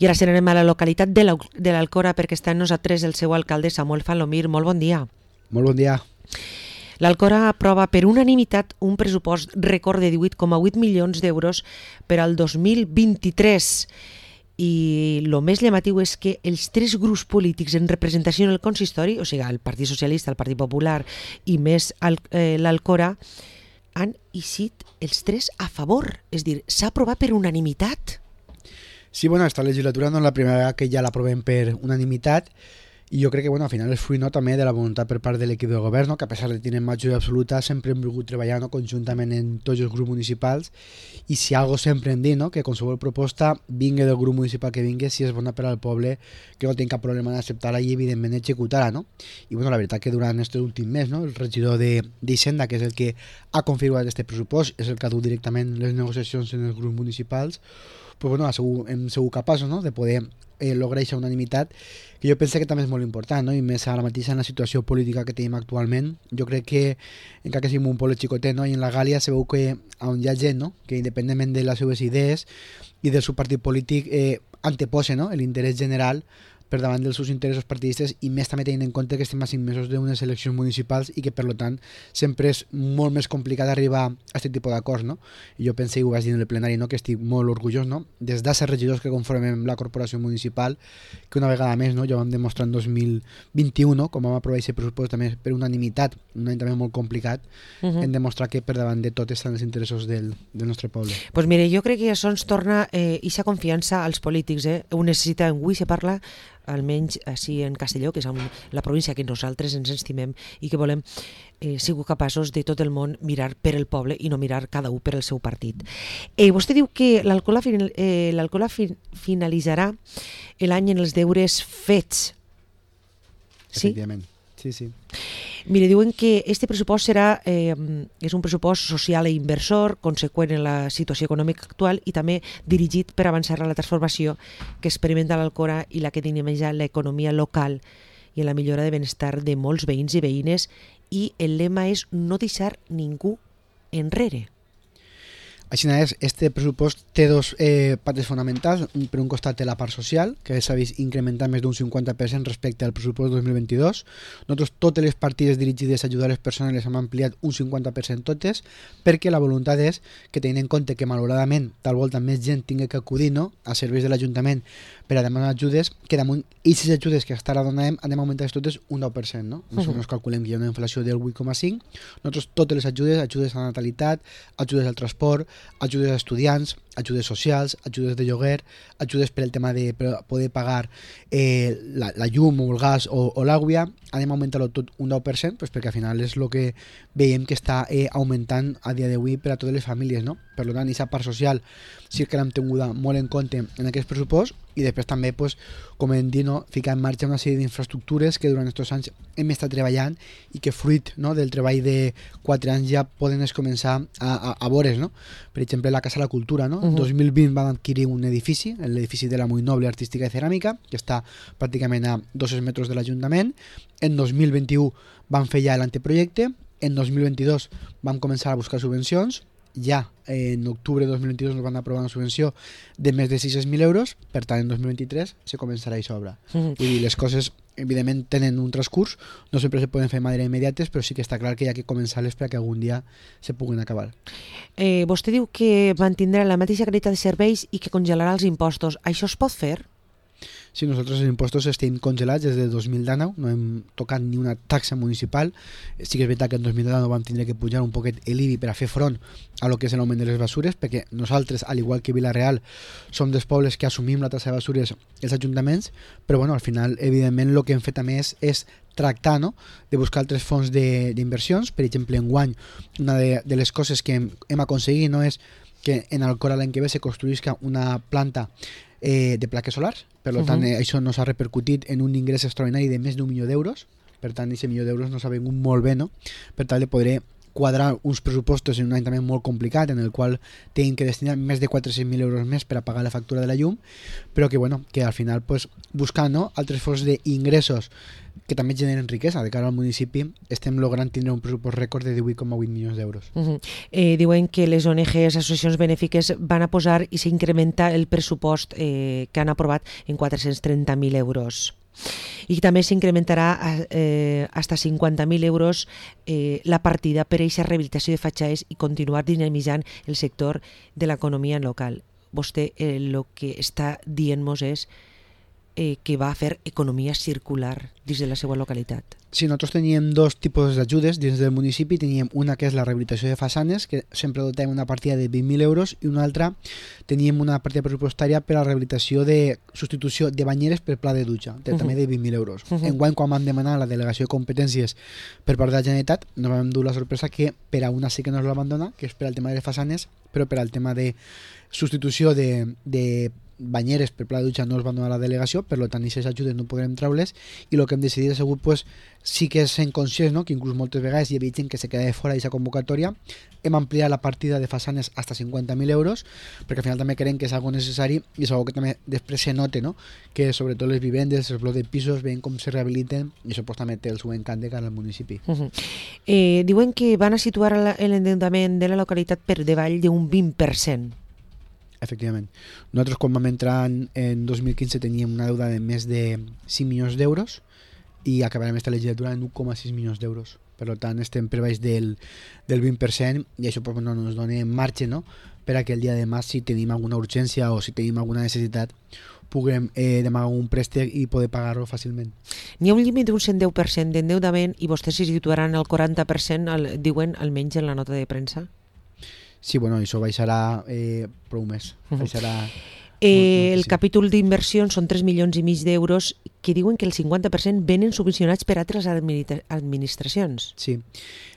I ara anem a la localitat de l'Alcora perquè està amb nosaltres el seu alcalde Samuel Falomir. Molt bon dia. Molt bon dia. L'Alcora aprova per unanimitat un pressupost rècord de 18,8 milions d'euros per al 2023. I el més llamatiu és que els tres grups polítics en representació en el consistori, o sigui, el Partit Socialista, el Partit Popular i més l'Alcora, han eixit els tres a favor. És a dir, s'ha aprovat per unanimitat. Sí, bueno, esta legislatura no és la primera vegada que ja l'aprovem per unanimitat i jo crec que al final és fruit també de la voluntat per part de l'equip de govern, que a pesar de tenir majoria absoluta sempre hem volgut treballar conjuntament en tots els grups municipals i si algo sempre hem dit, que qualsevol proposta vingui del grup municipal que vingui, si és bona per al poble, que no tinc cap problema d'acceptar-la i evidentment executar-la. I la veritat que durant aquest últim mes el regidor d'Hisenda, que és el que ha configurat aquest pressupost, és el que ha dut directament les negociacions en els grups municipals, hem sigut capaços de poder lograr aquesta unanimitat, que jo penso que també és molt important, i més ara mateix en la situació política que tenim actualment. Jo crec que, encara que siguem un poble xicotet, i en la Gàlia se veu que on hi ha gent que independentment de les seves idees i del seu partit polític anteposa l'interès general per davant dels seus interessos partidistes i més també tenint en compte que estem a 5 mesos d'unes eleccions municipals i que per tant sempre és molt més complicat arribar a aquest tipus d'acords. I jo penso, i ho vaig dir en el plenari, que estic molt orgullós des dels regidors que conformem la corporació municipal, que una vegada més ja vam demostrar en 2021, com vam aprovar aquest pressupost també per unanimitat, un any també molt complicat, hem demostrat que per davant de tot estan els interessos del nostre poble. Doncs mire, jo crec que això ens torna aquesta confiança als polítics. Ho necessita avui, se parla almenys així en Castelló, que és la província que nosaltres ens estimem i que volem sigut capaços de tot el món mirar per el poble i no mirar cada un per el seu partit. Vostè diu que l'Alcora finalitzarà l'any en els deures fets. Sí? Efectivament, sí. Mire, diuen que este pressupost és un pressupost social i inversor, conseqüent en la situació econòmica actual i també dirigit per avançar a la transformació que experimenta l'Alcora i la que dinamitza l'economia local i en la millora de benestar de molts veïns i veïnes, i el lema és no deixar ningú enrere. Així és, este pressupost té dos pates fonamentals. Per un costat té la part social, que s'ha vist incrementar més d'un 50% respecte al pressupost 2022. Nosaltres totes les partides dirigides a ajudar les persones les hem ampliat un 50% totes, perquè la voluntat és que tenint en compte que malauradament tal volta més gent tingui que acudir a serveis de l'Ajuntament per a demanar ajudes, que damunt aquestes ajudes que ara donarem anem a augmentar totes un 10%. Nosaltres calculem que hi ha una inflació del 8,5%. Nosaltres totes les ajudes a la natalitat, ajudes al transport, ajudes a estudiants, ajudes socials, ajudes de lloguer, ajudes per el tema de poder pagar la llum o el gas o l'aigua, anem a augmentar-ho tot un 10%, perquè al final és el que veiem que està augmentant a dia d'avui per a totes les famílies. Per tant, aquesta part social sí que l'hem tinguda molt en compte en aquest pressupost i després també, com hem dit, ficar en marxa una sèrie d'infraestructures que durant aquests anys hem estat treballant i que fruit del treball de 4 anys ja poden començar a veure's. Per exemple, la Casa de la Cultura. En 2020 van adquirir un edifici, l'edifici de la Muy Noble Artística i Ceràmica, que està pràcticament a 200 metres de l'Ajuntament. En 2021 van fer ja l'anteprojecte. En 2022 vam començar a buscar subvencions. Ja en octubre de 2022 nos van aprovar una subvenció de més de 600.000 euros, per tant en 2023 se començarà a obra. Vull dir, les coses evidentment tenen un transcurs, no sempre se poden fer de manera immediates, però sí que està clar que hi ha que començar-les perquè algun dia se puguin acabar. Vostè diu que mantindrà la mateixa qualitat de serveis i que congelarà els impostos. Això es pot fer? Sí, nosaltres els impostos estem congelats des de 2019, no hem tocat ni una taxa municipal. Sí que és veritat que en 2019 vam tindre que pujar un poquet l'IBI per a fer front a lo que és l'augment de les basures, perquè nosaltres, al igual que Vila-real, som dels pobles que assumim la taxa de basures els ajuntaments, però al final, evidentment, el que hem fet també és tractar de buscar altres fonts d'inversions. Per exemple, enguany, una de les coses que hem aconseguit és que en Alcora l'any que ve se construïsca una planta de plaques solars. Per tant, això no s'ha repercutit en un ingrés extraordinari de més d'1 milió d'euros. Per tant, aquest milió d'euros no s'ha vengut molt bé, per tal de poder quadrar uns pressupostos en un any també molt complicat, en el qual tenim que destinar més de 400.000 euros més per a pagar la factura de la llum, però que, bueno, que al final pues, buscant, no, altres fonts d'ingressos que també generen riquesa de cara al municipi, estem logrant tindre un pressupost rècord de 18,8 milions d'euros. Diuen que les ONGs, associacions benèfiques, van a posar i s'incrementa el pressupost que han aprovat en 430.000 euros. I també s'incrementarà hasta 50.000 euros la partida per a aquesta rehabilitació de fatxades i continuar dinamitzant el sector de l'economia local. Vostè el que està dient-nos és que va a fer economia circular dins de la seva localitat. Sí, nosaltres teníem dos tipus d'ajudes dins del municipi. Teníem una que és la rehabilitació de façanes, que sempre dotem una partida de 20.000 euros, i una altra teníem una partida pressupostària per a la rehabilitació de substitució de banyeres per pla de dutxa, també de 20.000 euros. Enguany, quan vam demanar la delegació de competències per part de la Generalitat, nos vam dur la sorpresa que per a una sí que nos l'abandona, que és per al tema de les façanes, però per al tema de substitució de banyeres per pla de dutxa no es van donar la delegació, per tant aquestes ajudes no podrem treure-les, i el que hem decidit ha sigut pues, sí que sent conscients, no? Que inclús moltes vegades hi havia gent que se quedava fora d'aquesta convocatòria, hem ampliat la partida de façanes hasta 50.000 euros, perquè al final també creiem que és algo necessari i és algo que també després se note, no? Que sobretot les vivendes, els blocs de pisos, veient com se rehabiliten, i això pues, també té el seu encant de cara al municipi. Diuen que van a situar l'endeutament de la localitat per davall d'un 20%. Efectivament. Nosaltres quan vam entrar en 2015 teníem una deuda de més de 5 milions d'euros i acabarem aquesta legislatura en 1,6 milions d'euros. Per tant, estem per baix del 20% i això pues, no ens dona marge, no? Per a que el dia de demà, si tenim alguna urgència o si tenim alguna necessitat, puguem demanar un préstec i poder pagar-lo fàcilment. N'hi ha un límit d'un 110% d'endeutament i vostès s'hi situaran al 40%, diuen almenys en la nota de premsa? Sí, bueno, això baixarà prou més. Baixarà el capítol d'inversions són 3 milions i mig d'euros que diuen que el 50% venen subvencionats per altres administracions. Sí.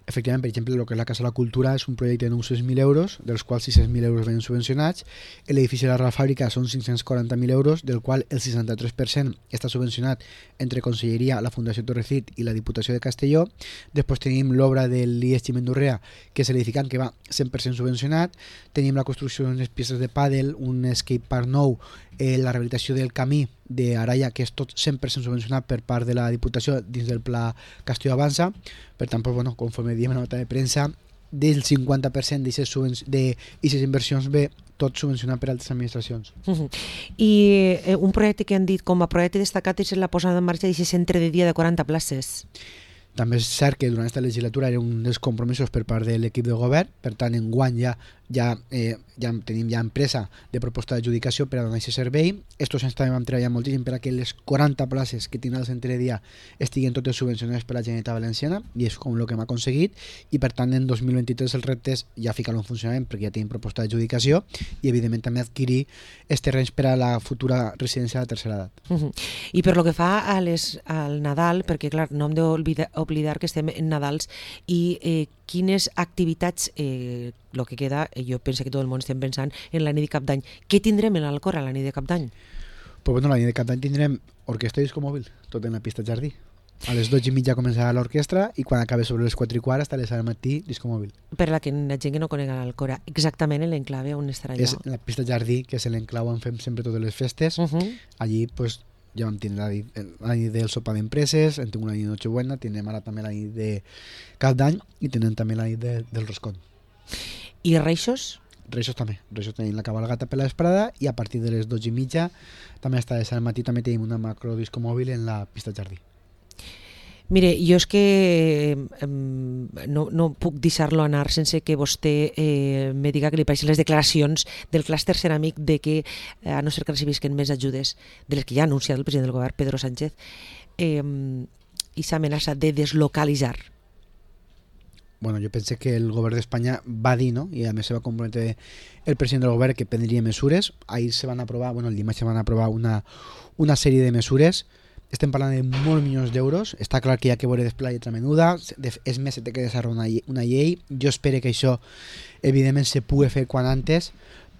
Efectivament, per exemple, el que és la Casa de la Cultura és un projecte de 900.000 euros, dels quals 600.000 euros venen subvencionats. L'edifici de la Real Fàbrica són 540.000 euros, del qual el 63% està subvencionat entre Conselleria, la Fundació Torrecit i la Diputació de Castelló. Després tenim l'obra de l'IES Ximendurrea, que és l'edificant que va 100% subvencionat. Tenim la construcció d'unes pistes de pàdel, un skate park nou, la rehabilitació del camí d'Araya, que és tot 100% subvencionat per part de la Diputació dins del Pla Castelló Avança. Per tant, pues, bueno, conforme diem en la nota de premsa, del 50% d'aquestes inversions ve tot subvencionat per altres administracions. I un projecte que han dit com a projecte destacat és la posada en marxa d'aquest centre de dia de 40 places. També és cert que durant aquesta legislatura era un dels compromisos per part de l'equip de govern, per tant, enguany ja tenim empresa de proposta d'adjudicació per a donar aquest servei. Estos anys també vam treballar moltíssim per a que les 40 places que tindrà el centre de dia estiguen totes subvencionades per la Generalitat Valenciana, i és com el que hem aconseguit, i per tant en 2023 el repte és ja ficar-lo en funcionament perquè ja tenim proposta d'adjudicació i evidentment també adquirir els terrenys per a la futura residència de tercera edat. I per lo que fa al Nadal, perquè clar, no hem d'oblidar que estem en Nadals, i quines activitats, el que queda, jo penso que tot el món estem pensant en la nit de Cap d'Any. Què tindrem en l'Alcora a la nit de Cap d'Any? Pues bueno, la nit de Cap d'Any tindrem orquestra i disco mòbil, tot en la pista Jardí. A les 12:30 començarà l'orquestra i quan acabi sobre les 4:15 hasta les 6 del matí, disco mòbil. Per la gent que no conega l'Alcora, exactament en l'enclave on estarà allò? És la pista Jardí, que és l'enclau on fem sempre totes les festes. Allí, pues, ja vam tindre la nit del sopar d'empreses, hem tingut la nit de Nochebuena, tindrem ara també la nit de Cap d'Any i tindrem també la nit del Roscón. I Reixos? Reixos també. Reixos tenim la cabalgata per la vesprada i a partir de les 12:30 també hasta les 6 del matí també tenim una macro disco mòbil en la pista Jardí. Mire, jo és que no puc deixar-lo anar sense que vostè me diga que li pareixen les declaracions del clúster ceràmic de que, a no ser que recibisquen més ajudes de les que ja ha anunciat el president del govern, Pedro Sánchez, i s'amenaça de deslocalitzar. Bueno, jo penso que el govern d'Espanya va dir, no? I a més se va comprometre el president del govern que prendria mesures. Ahir se van aprovar, bueno, el dimarts se van aprovar una sèrie de mesures. Estem parlant de molts milions d'euros. Està clar que hi ha que veure després la lletra menuda. És més, se té que desarrollar una llei. Jo espero que això, evidentment, se pugui fer quan antes,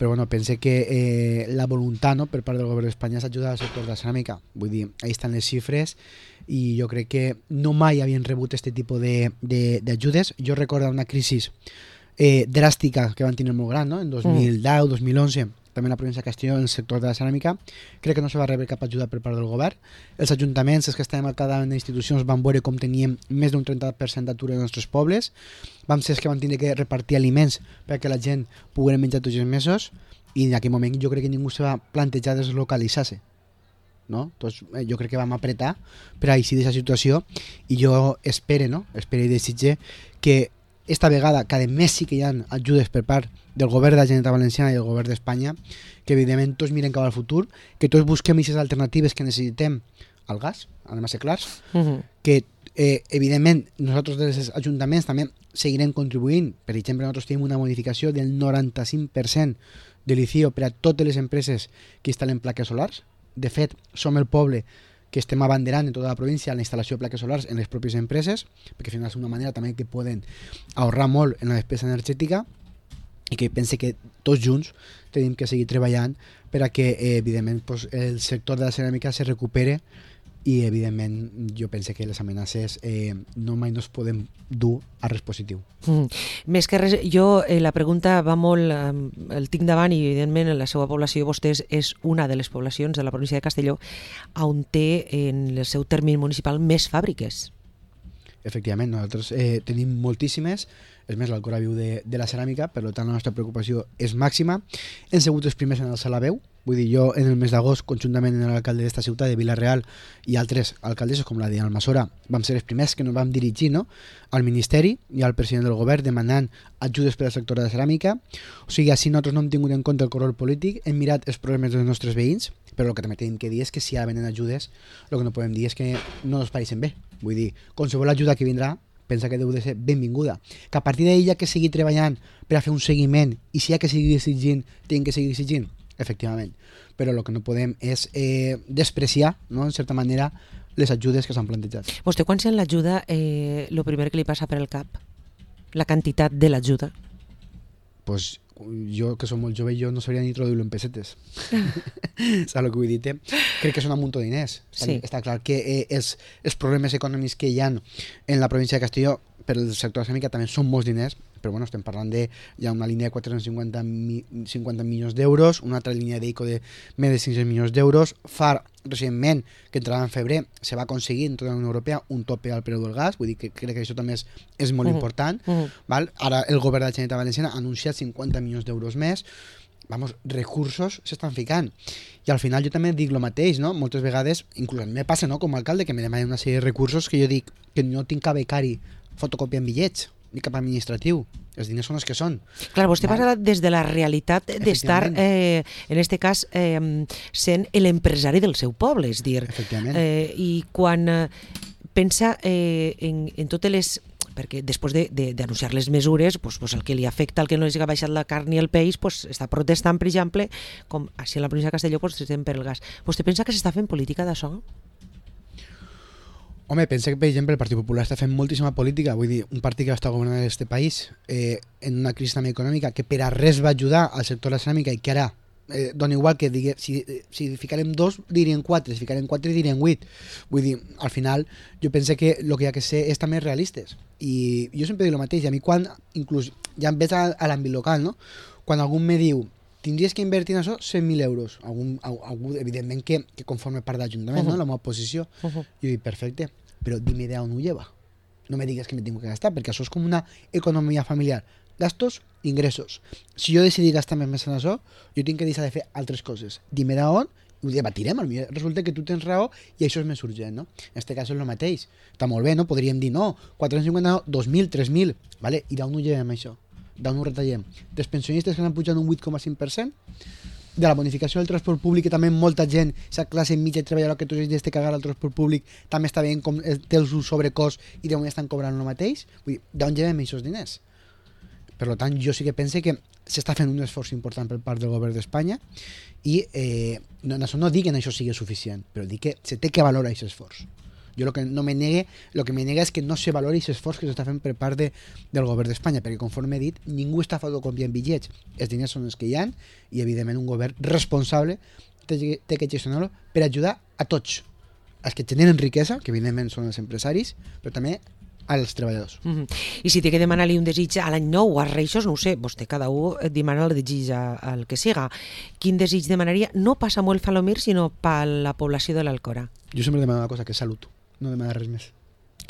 però bueno, pense que la voluntat, no, per part del govern d'Espanya és ajudar al sector de la ceràmica. Vull dir, ahí estan les xifres i jo crec que no mai havien rebut aquest tipus d'ajudes. Jo recordo una crisi dràstica que van tenir molt gran, no? En 2010, 2011, també en la província de Castelló, en el sector de la ceràmica. Crec que no se va rebre cap ajuda per part del govern. Els ajuntaments, els que estàvem al capdavant d'institucions, van veure com teníem més d'un 30% d'atur en els nostres pobles. Vam ser els que van tenir que repartir aliments perquè la gent pogués menjar tots els mesos, i en aquell moment jo crec que ningú se va plantejar deslocalitzar-se. No? Doncs jo crec que vam apretar per a eixir d'aquesta situació, i jo espero i desitge que esta vegada cada mes sí que hi ha ajudes per part del govern de la Generalitat Valenciana i del govern d'Espanya, que evidentment tots miren cap al futur, que tots busquem aquestes alternatives que necessitem al gas, anem a ser clars, que evidentment nosaltres des dels ajuntaments també seguirem contribuint. Per exemple, nosaltres tenim una modificació del 95% de l'ICIO per a totes les empreses que instal·len plaques solars. De fet, som el poble que estem abanderant en tota la província la instal·lació de plaques solars en les pròpies empreses, perquè al final és una manera també que poden ahorrar molt en la despesa energètica, i que pense que tots junts tenim que seguir treballant per a que evidentment el sector de la ceràmica se recupere, i evidentment jo pense que les amenaces no mai no es poden dur a res positiu. Més que res, jo la pregunta va molt, el tinc davant, i evidentment la seva població, vostès, és una de les poblacions de la província de Castelló on té en el seu termini municipal més fàbriques. Efectivament, nosaltres tenim moltíssimes. És més, l'Alcora viu de la ceràmica, per tant la nostra preocupació és màxima. Hem sigut els primers en alçar la veu. Vull dir, jo en el mes d'agost, conjuntament amb l'alcalde d'esta ciutat, de Vila-real, i altres alcaldesses com la de Almassora, vam ser els primers que nos vam dirigir, no?, al Ministeri i al president del govern demanant ajudes per al sector de la ceràmica. O sigui, així nosaltres no hem tingut en compte el color polític, hem mirat els problemes dels nostres veïns, però el que també tenim que dir és que si ja venen ajudes, el que no podem dir és que no ens pareixen bé. Vull dir, qualsevol ajuda que vindrà pensa que deu de ser benvinguda. Que a partir d'ella que seguir treballant per a fer un seguiment, i si hi ha que seguir exigint, tenim que seguir exigint, efectivament. Però el que no podem és despreciar, no?, en certa manera, les ajudes que s'han plantejat. Vostè, quan sent l'ajuda, el primer que li passa per el cap? La quantitat de l'ajuda? Pues jo, que som molt jove, jo no sabria ni traduir-lo en pessetes. Saps el que vull dir? Crec que són un munt de diners. Sí. Està clar que els problemes econòmics que hi ha en la província de Castelló per al sector de la ceràmica també són molts diners, però bueno, estem parlant de hi ha una línia de 450 milions d'euros, una altra línia d'ICO de més de 500 milions d'euros. Fa recentment, que entrarà en febrer, se va aconseguir en tota la Unió Europea un tope al preu del gas, vull dir que crec que això també és molt important. Val? Ara el govern de la Generalitat Valenciana ha anunciat 50 milions d'euros més. Vamos, recursos s'estan ficant. I al final jo també dic el mateix, no? Moltes vegades, inclús a mi me passa, no?, com a alcalde, que me demanen una sèrie de recursos que jo dic que no tinc cap becari fotocopiant bitllets, ni cap administratiu. Els diners són els que són. Clar, vostè parla des de la realitat d'estar, en este cas, sent l'empresari del seu poble, és dir, i quan pensa en totes les... perquè després d'anunciar les mesures, el que li afecta, el que no li ha baixat la carn ni el peix, està protestant, per exemple, com així en la província de Castelló, estem per el gas. Vostè pensa que s'està fent política d'això? Home, pensa que, per exemple, el Partit Popular està fent moltíssima política. Vull dir, un partit que està governant aquest país en una crisi també econòmica, que per a res va ajudar al sector de la ceràmica, i que ara dona igual que si ficarem 2 dirien 4, si ficarem 4 dirien 8. Vull dir, al final jo penso que el que hi ha que ser és també realistes, i jo sempre dic el mateix. A mi quan, inclús ja em veig a l'àmbit local, no?, quan algú me diu tindries que invertir en això 100.000 euros, algú evidentment que conforme part de l'Ajuntament, no?, la meva posició, jo dic perfecte, però dime de on ho lleva, no me digues que me tengo que gastar, perquè això és com una economia familiar, gastos, ingressos. Si jo decidir gastar més en això, jo tinc que deixar de fer altres coses. Dime d'on, ho debatirem, potser resulta que tu tens raó i això és més urgent, no? En aquest cas és el mateix. Està molt bé, no? Podríem dir, no, 450, no, 2.000, 3.000, vale? I d'on ho llevem això? D'on ho retallem? Dels pensionistes que han pujat un 8,5%? De la bonificació del transport públic, que també molta gent, la classe mitja treballadora que tots els dies té que cagar al transport públic, també està veient com té el sobrecost i de moment estan cobrant el mateix? Vull dir, d'on llevem aquests diners? Per tant, jo sí que pense que s'està fent un esforç important per part del govern d'Espanya, i no dic que això sigui suficient, però dic que se té que valorar aquest esforç. Jo el que me nega és que no se valori aquest esforç que s'està fent per part del govern d'Espanya, perquè conforme he dit, ningú està fotocopiant bitllets, els diners són els que hi ha i evidentment un govern responsable té que gestionar-lo per ajudar a tots, els que generen riquesa, que evidentment són els empresaris, però també als treballadors. I si té que demanar-li un desig a l'any nou o als Reixos, no ho sé, vostè cada un demana el desig al que siga. Quin desig demanaria? No pas a Samuel Falomir, sinó per la població de l'Alcora. Jo sempre demano una cosa, que és salut, no demano res més.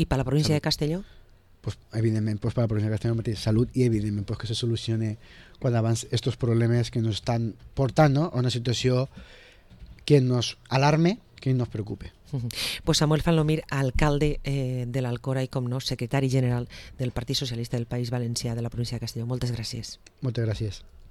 I per la província de Castelló? Pues evidentment, pues per la província de Castelló mateix, salut, i evidentment pues que se solucione quan abans estos problemes que nos estan portant, ¿no?, a una situació que nos alarme, que nos preocupe. Pues Samuel Falomir, alcalde de l'Alcora i, com no, secretari general del Partit Socialista del País Valencià de la província de Castelló. Moltes gràcies. Moltes gràcies.